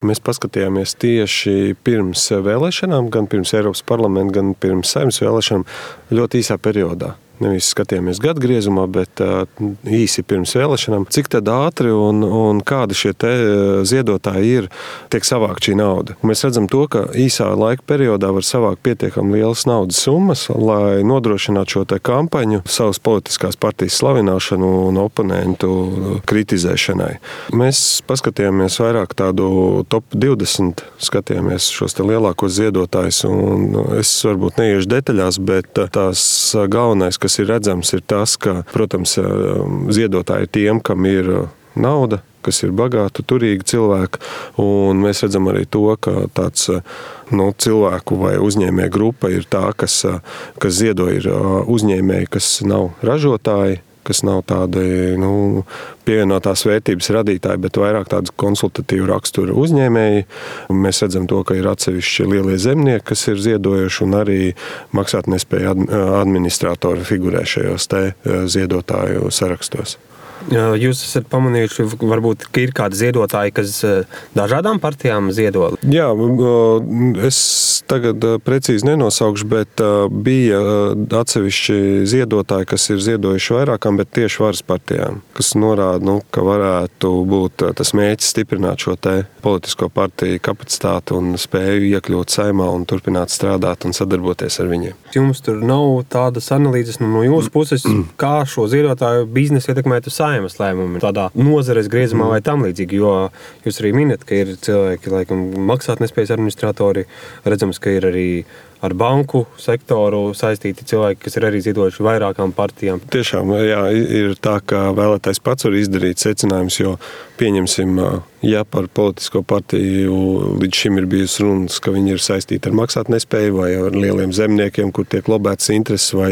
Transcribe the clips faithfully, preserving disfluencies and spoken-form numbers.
Mēs paskatījāmies tieši pirms vēlēšanām, gan pirms Eiropas parlamenta, gan pirms Saeimas vēlēšanām ļoti īsā periodā. Nevis skatījāmies gadu griezumā, bet uh, īsi pirms vēlēšanām, cik tad ātri un, un kādi šie te ziedotāji ir, tiek savākt šī nauda. Mēs redzam to, ka īsā laika periodā var savākt pietiekami lielas naudas summas, lai nodrošinātu šo te kampaņu, savas politiskās partijas slavināšanu un oponentu kritizēšanai. Mēs paskatījāmies vairāk tādu top divdesmit, skatījāmies šos te lielākos ziedotājus, un es varbūt neiešu detaļās, bet tās galvenais, kas ir redzams, ir tas, ka, protams, ziedotāji ir tiem, kam ir nauda, kas ir bagāti, turīgi cilvēki, un mēs redzam arī to, ka tāds nu, cilvēku vai uzņēmēju grupa ir tā, kas, kas ziedo ir uzņēmēji, kas nav ražotāji, kas nav tādi nu, pievienotās vērtības radītāji, bet vairāk tādas konsultatīvu raksturu uzņēmēji. Mēs redzam to, ka ir atsevišķi lielie zemnieki, kas ir ziedojuši, un arī maksātnespēja administratori figurē šajos te ziedotāju sarakstos. Jūs esat pamanījuši, varbūt, ka ir kādi ziedotāji, kas dažādām partijām ziedo? Jā, es tagad precīzi nenosaukšu, bet bija atsevišķi ziedotāji, kas ir ziedojuši vairākām, bet tieši varas partijām, kas norāda, nu, ka varētu būt tas mērķis stiprināt šo te politisko partiju kapacitāti un spēju iekļūt Saeimā un turpināt strādāt un sadarboties ar viņiem. Jums tur nav tādas analīzes nu, no jūsu puses, kā šo ziedotāju biznesu ietekmētu Saeimas lēmumi tādā nozares griezumā vai tam līdzīgi, jo jūs arī minat, ka ir cilvēki, laikam, maksātnespējas administratori, redzams, ka ir arī ar banku sektoru saistīti cilvēki, kas ir arī ziedojuši vairākām partijām. Tiešām, jā, ir tā, ka vēlētājs pats var izdarīt secinājumus, jo pieņemsim, ja par politisko partiju līdz šim ir bijusi runas, ka viņi ir saistīti ar maksātnespēju vai ar lieliem zemniekiem, kur tiek lobētas intereses vai,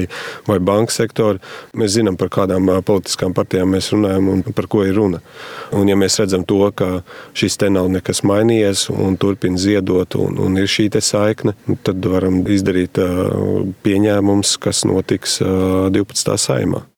vai banka sektori. Mēs zinām, par kādām politiskām partijām mēs runājam un par ko ir runa. Un ja mēs redzam to, ka šis te nav nekas mainījies un turpina ziedot un, un ir šī te saikne, tad varam izdarīt pieņēmums, kas notiks divpadsmitā Saeimā.